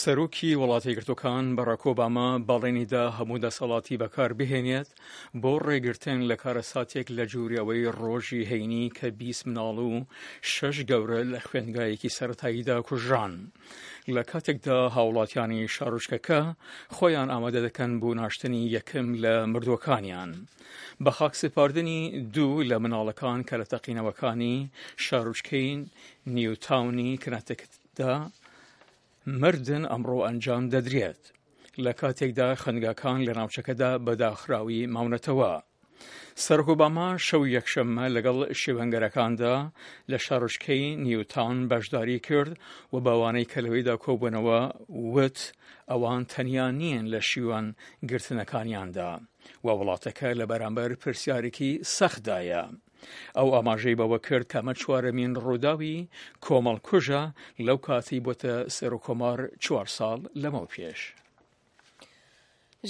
سەرۆکی وڵاتە یەکگرتووەکان باراک ئۆباما بەڵێنی دا هەموو دەسەڵاتی بەکار بهێنێت بۆ ڕێگرتن لە کارەساتێک لە جوری ئەوەی ڕۆژی هەینی کە 20 مناڵ و شەش گەورە لە خوێندگایەکی سەرەتاییدا کوژران. لە کاتێکدا هاوڵاتیانی شارۆچکەکە خۆیان ئامادە دەکەن بۆ ناشتنی یەکەم لە مردووەکانیان. بە خاکسپاردنی دوو لە مناڵەکان کە لە تەقینەوەکانی شارۆچکەی نیوتاونی کنەتکتدا مردن ئەمڕۆ ئەنجام دەدرێت لە کاتێکدا خوێندگاکان لە ناوچەکەدا بە داخراوی ماونەتەوە. سەرۆک ئۆباما شەو یەکشەممە لەگەڵ شێوەنگەرەکاندا لە شارۆچکەی نیوتاون بەشداری کرد و بەوانەی کە لەوێدا کۆبوونەوە وت ئەوان تەنیا نیین لە شیوان گرتنەکانیاندا و وڵاتەکە لە بەرامبەر پرسیارێکی سەختدایە. ئەو ئاماژەی بەوە کرد کە ئەمە چوارەمین ڕووداوی کۆمەڵکوژە لەو کاتەی بۆتە سەرۆککۆمار چوار ساڵ لەمەو پێش.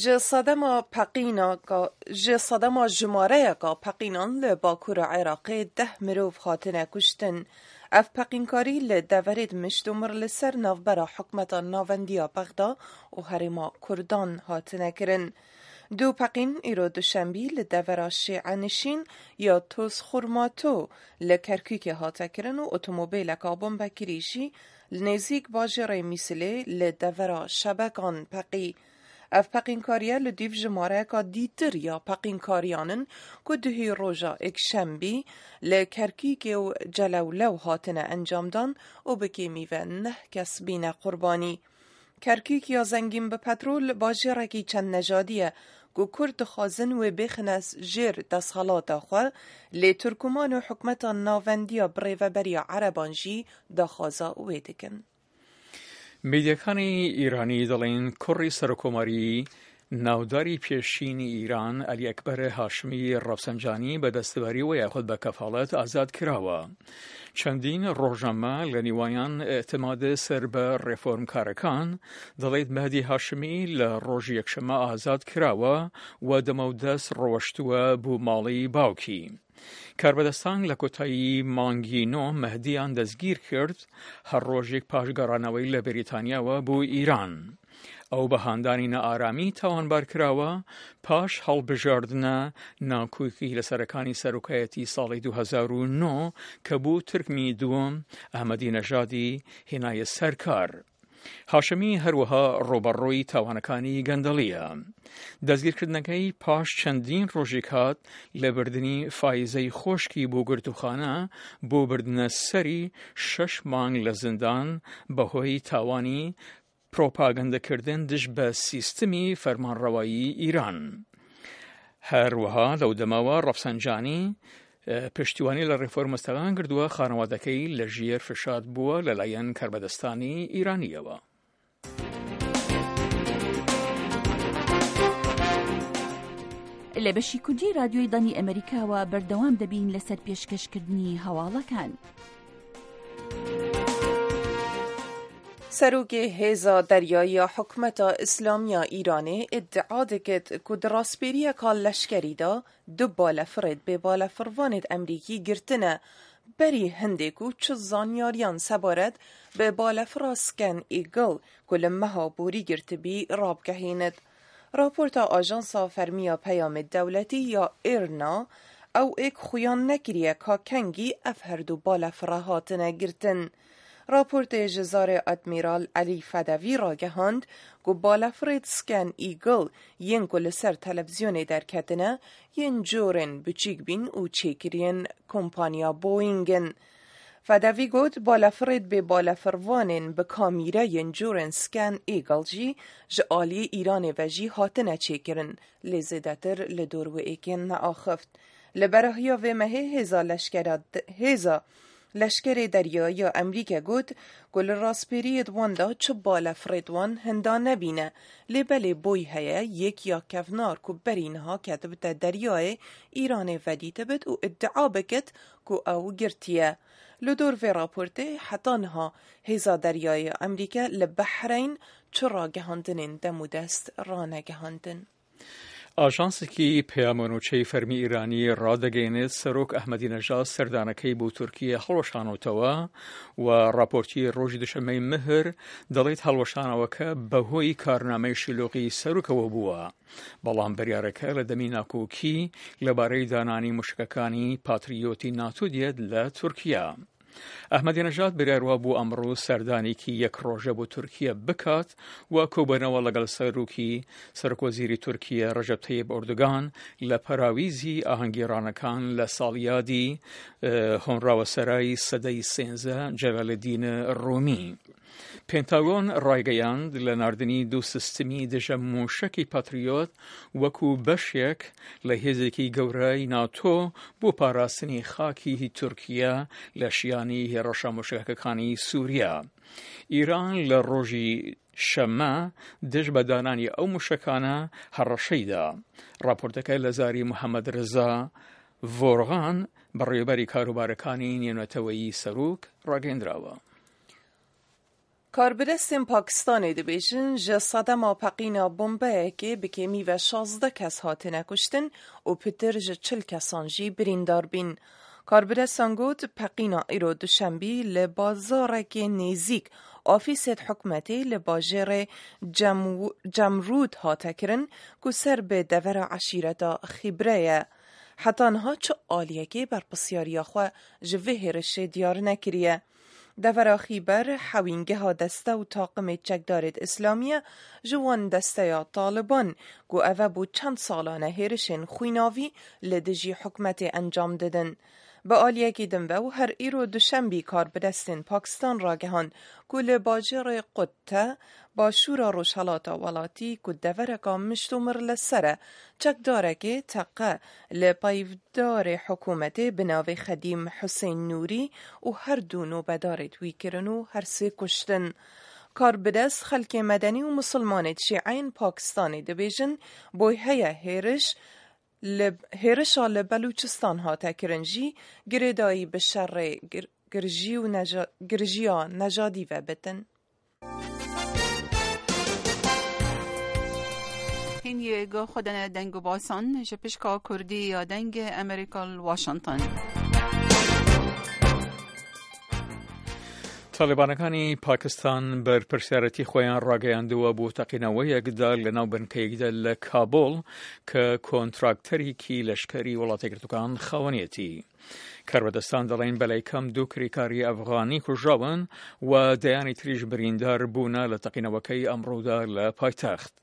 Ji sedema peqînaka ji sedema jimareyeka peqînan li bakûra Iraqê deh mirov hatine kuştin. Ev peqînkarî li deverê di mişt û mir li ser navbera hikûmeta navendî ya Bexda û herêma Kurdan hatine kirin. Du peqîn îro duşembî li devera Şîenişîn ya Tozxurmato li Kerkûkê hate kirin û otomobîleka bombekirî jî li nêzîk bajêrê Mîsilê li devera Şebekan peqî. Ev peqînkariye li dîv jimareyeka dîtir ya peqînkariyan in ku duhî roja Êkşembî li Kerkûkê û Celewlew hatine encamdan û bi kêmî ve neh kes bîne qurbanî. Kerkûk ya zengîn bi petrol bajêrekî çend nejadî ye ku Kurd dixwazin wê bêxine jêr desthelata xwe, lê Tirkoman û hikûmeta navendî ya birêveberiya Ereban jî daxwaza wê dikin. میدیاکانی ئیرانی دەڵێن کوڕی سەرۆککۆماری ناوداری پێشینی ئیران عەلی ئەکبەر هاشمی ڕەفسەنجانی بە دەستبەریەوە یاخود بە کەفاڵەت ئازاد کراوە. چەندین ڕۆژنامە لە نیوانیان ئیعتماد سەر بە ڕێفۆرمکارەکان دەڵێت مەهدی هاشمی لە ڕۆژی یەکشەممە ئازاد کراوە و دەمەودەست ڕۆشتووە بۆ ماڵی باوکی. کاربەدەستان لە کۆتایی مانگی نۆ مەهدیان دەستگیر کرد هەر ڕۆژێک پاش گەڕانەوەی لە بەریتانیاوە بۆ ئیران. ئەو بە هاندانی نائارامی تاوانبار کراوە پاش هەڵبژاردنە ناکۆکی لەسەرەکانی سەرۆکایەتی ساڵی 2009 کە بوو ترمی دووەم ئەحمەدی نەژادی هێنایە سەر کار. هاشمی هەروەها ڕووبەڕووی تاوانەکانی گەندەڵییە. دەستگیرکردنەکەی پاش چەندین ڕۆژێک هات لە بردنی فایزەی خۆشکی بۆ گرتووخانە بۆ بردنە سەری شەش مانگ لە زیندان بەهۆی تاوانی پرۆپاگەندەکردن دژ بە سیستمی فەرمانڕەوایی ئیران. هەروەها لەو دەمەوە ڕەفسەنجانی پشتیوانی لە ڕێفۆرمستەکان کردووە، خانەوادەکەی لە ژێر فشار بووە لەلایەن کاربەدەستانی ئیرانییەوە. لە بەشی کوردی رادیۆی دەنگی ئەمەریکاوە بەردەوام دەبین لەسەر پێشکەشکردنی هەواڵەکان. Serokê Hêza Deryayî ya Hikûmeta Îslamî ya Îranê îdia dikit ku di raspêriyeka leşkerî de du balefirêd bêbalefirvanêd Emrîkî girtine berî hindê ku çi zanyariyan sebaret bi balefira Scan Eagle ku li meha borî girtibî rabigehînit. Raporta ajansa fermî ya peyamê dewletî ya IRNA ew êk xuyan nekiriye ka kengî ev herdu balefire hatine girtin. Raportê ji zarê Admîral Elî Fedevî ragihand ku balefirêd Scan Eagle yên ku li ser televîzyonê derketine yên corên biçîk bîn û çêkiriyên kompanya Boeing in. Fedevî got, Balefirêd bê balefirvanên bi kamîre yên corên Scan Eagle jî ji aliyê Îranê ve jî hatine çêkirin, lê zêdetir li dor wê êkê neaxift. Li berahiya vê mehê hêza leşkera hêza leşkerê deryayî ya Emrîke got ku li raspêriyê di wan de çi balefirêd wan hinda nebîne, lê belê boy heye yek ya kevnar ku berî niha ketibite deryayê Îranê vedîtibit û îdia bikit ku ew girtiye. Li dor vê raportê heta niha Hêza Deryayê ya Emrîke li Behreyn çi ragihandinên dem û dest ranegihandin. ئاژانسێکی پەیامەنوچەی فەرمی ئیرانی ڕادەگەیەنێت سەرۆک ئەحمەدی نەژاد سەردانەکەی بۆ تورکیە هەڵوەشانەوتەوە و ڕاپۆرتی ڕۆژی دوشەممەی مهر دەڵێت هەڵوەشانەوەکە بەهۆی کارنامەی شلوغی سەرۆکەوە بووە بەڵام بریارەکە لە دەمی ناکۆکی لەبارەی دانانی موشکەکانی پاتریۆتی ناتۆ دێت لە تورکیا. ئەحمەدی نەژاد بریار وابوو ئەمڕۆ سەردانێکی یەک ڕۆژە بۆ تورکیە بکات و کۆبەنەوە لەگەڵ سەرۆکی سەرۆکوەزیری تورکیە ڕەجەب تەیب ئۆردوگان لە پەراویزی ئاهەنگگێڕانەکان لە ساڵیادی هۆنراوە سەرای سەدەی سێنزە جەلالەدین ڕۆمی. پێنتاگۆن ڕایگەیاند لە ناردنی دوو سیستمی دژە مووشەکی پاتریۆت وەکو بەشێک لە هێزێکی گەورەی ناتۆ بۆ پاراستنی خاکی تورکیە لە شیانی هێڕەشە مووشەکەکانی سووریا. ئیران لە ڕۆژی شەممە دژ بە دانانی ئەو مووشەکانە هەڕەشەی دا. ڕاپۆرتەکە لە زاری محەمەد رزا ڤۆرغان، بەڕێوەبەری کاروبارەکانی نێونەتەوەیی سەرۆک ڕاگەیەندراوە. کاربەدەستên Pakistanê dibêjin ji sedema peqîna bombeyekê bi kêmî ve 16 kes hatine kuştin û pitir ji 40 kesan jî birîndar bîn. Karbidestan got peqîna îro duşembî li bazarekê nêzîk ofîsên hikûmetê li bajêrê Cemrûd hate kirin ku ser bi devera eşîreta Xîbre ye. Heta niha çi aliyekê berpirsyariya xwe ji vê hêrişê diyar nekiriye. Devera Xîber hewîngeha deste û taqimê çekdarêd îslamî ye ji wan desteya Taliban ku eve bo çend salan e hêrişên xwînavî li dijî hikûmetê encam didin. Bi aliyekî din ve û her îro duşembî karbidestên Pakistan ragihand ku li bajarê Qutte Başûra rojhelata welatî ku devereka mişt û mir li ser e, çekdarekê teqe li peyvdarê hikûmetê bi navê Xedîm Husên Nûrî û her du nobedarêd wî kirin û her sê kuştin. Karbidest xelkê medenî û misilmanêd şîeyên Pakistanê dibêjin boy heye hêriş li hêrişa li Belûçistan hate kirin jî girêdayî bi şerê girjî û girjiya nejadî ve bitin. Hîn yê xwe dene deng û basan ji pişka Kurdî ya Dengê Amerîka li Washington. تاڵیبانەکانی پاکستان بەرپرسیارەتی خۆیان ڕاگەیاندووە بۆ تەقینەوەیەکدا لە ناو بنکەیەکدا لە کابۆڵ کە کۆنتراکتەرێکی لەشکری وڵاتەگرتوەکان خاوەنیەتی. کاربەدەستان دەڵێن بەلای کەم دوو کریکاری ئەفغانی کوژراون و دەیانی تریش بریندار بوونە لە تەقینەوەکەی ئەمڕۆدا لە پایتەخت.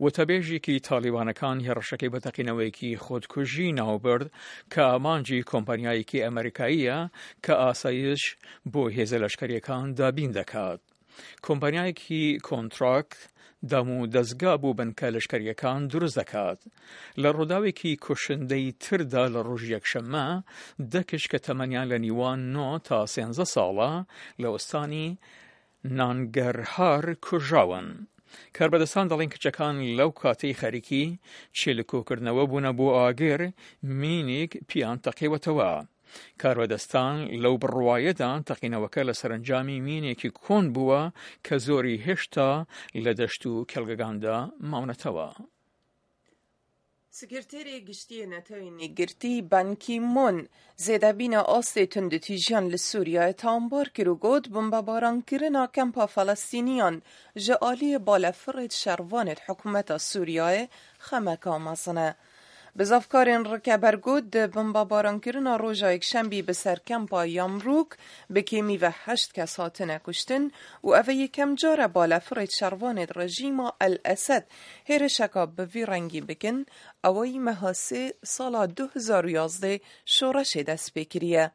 وتەبێژێکی تالیبانەکان هێڕشەکەی بە تەقینەوەیەکی خۆدکوژی ناوبرد کە ئامانجی کۆمپانیایەکی ئەمریکاییە کە ئاسایش بۆ هێزە لەشکریەکان دابین دەکات. کۆمپانیایەکی کۆنتراکت دام و دەزگا بۆ بنکە لەشکریەکان دروست دەکات. لە ڕووداوێکی کوشندەی تردا لە ڕۆژی یەکشەممە دە کچ کە تەمەنیان لە نیوان 9 تا 13 ساڵە لە ئوستانی نانگەرهار کوژراون. کاربەدەستان دەڵێن کچەکان لەو کاتەی خەریکی چێلکۆکردنەوە بوونە بۆ ئاگر مینێک پیان تەقیوەتەوە. کاربەدەستان لەو بڕوایەدان تەقینەوەکە لە سەرەنجامی مینێکی کۆن بووە کە زۆری هێشتا لە دەشت و کێڵگەکاندا ماونەتەوە. سکرتێری گشتیی نەتەوەی یەکگرتوو بان کی مۆن زێدەبینە ئاستێ توندوتیژیان لە سووریایێ تاوانبار کر و گوت، بۆمبەبارانکردنا کەمپا فەلەستینیان ji aliyê balefirêd şervanêd hikûmeta Sûriyeyê xemeka mezin e. Bizavkarên rikeber got di bombebarankirina roja Yekşembî bi ser kempa Yamrûk bi kêmî ve heşt kes hatine kuştin û ev e yekem car e balefirêd şervanêd rejîma El Esed hêrişeka bi vî rengî bikin, ewayî meha sê sala 2011 şoreşê dest pê kiriye.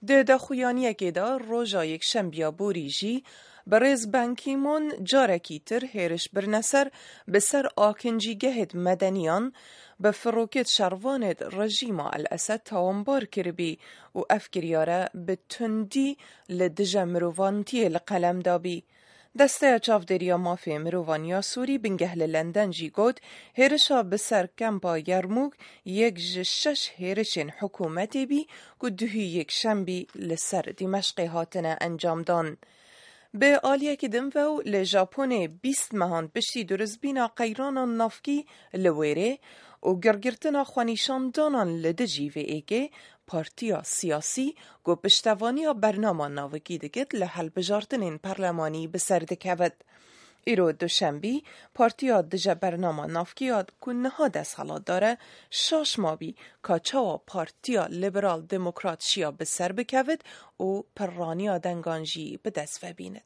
Di daxuyaniyekê de roja Yekşembiya borî jî Birêz Ban Ki Moon carekî tir hêriş birine ser bi ser akincîgehêd medeniyan bi firokêd şervanêd rejîma El Esed tawanbar kiribî û ev kiryare bi tundî li dije mirovantiyê li qelem dabî. Desteya Çavdêriya Mafê Mirovan ya Sûrî bingeh li Lenden jî got, hêrişa bi ser Kempa Yermûk yek ji şeş hêrişên hikûmetê bî ku duhî yekşembî li ser Dîmeşqê hatine encamdan. Bi aliyekî din ve û li Japonê 20 mehan piştî duristbîna qeyrana navkî li wêrê, û girgirtina xwenîşandanan li dijî vê yekê, partiya siyasî ku piştevaniya bernama navikî dikit li hilbijartinên parlemanî bi ser dikevit. Îro duşembî partiya dije bernama navkî ya ku niha desthilatdar e, şaş mabî ka çawa partiya Liberal Demokrat şiya bi ser bikevit û pirraniya dengan jî bi dest ve bînit.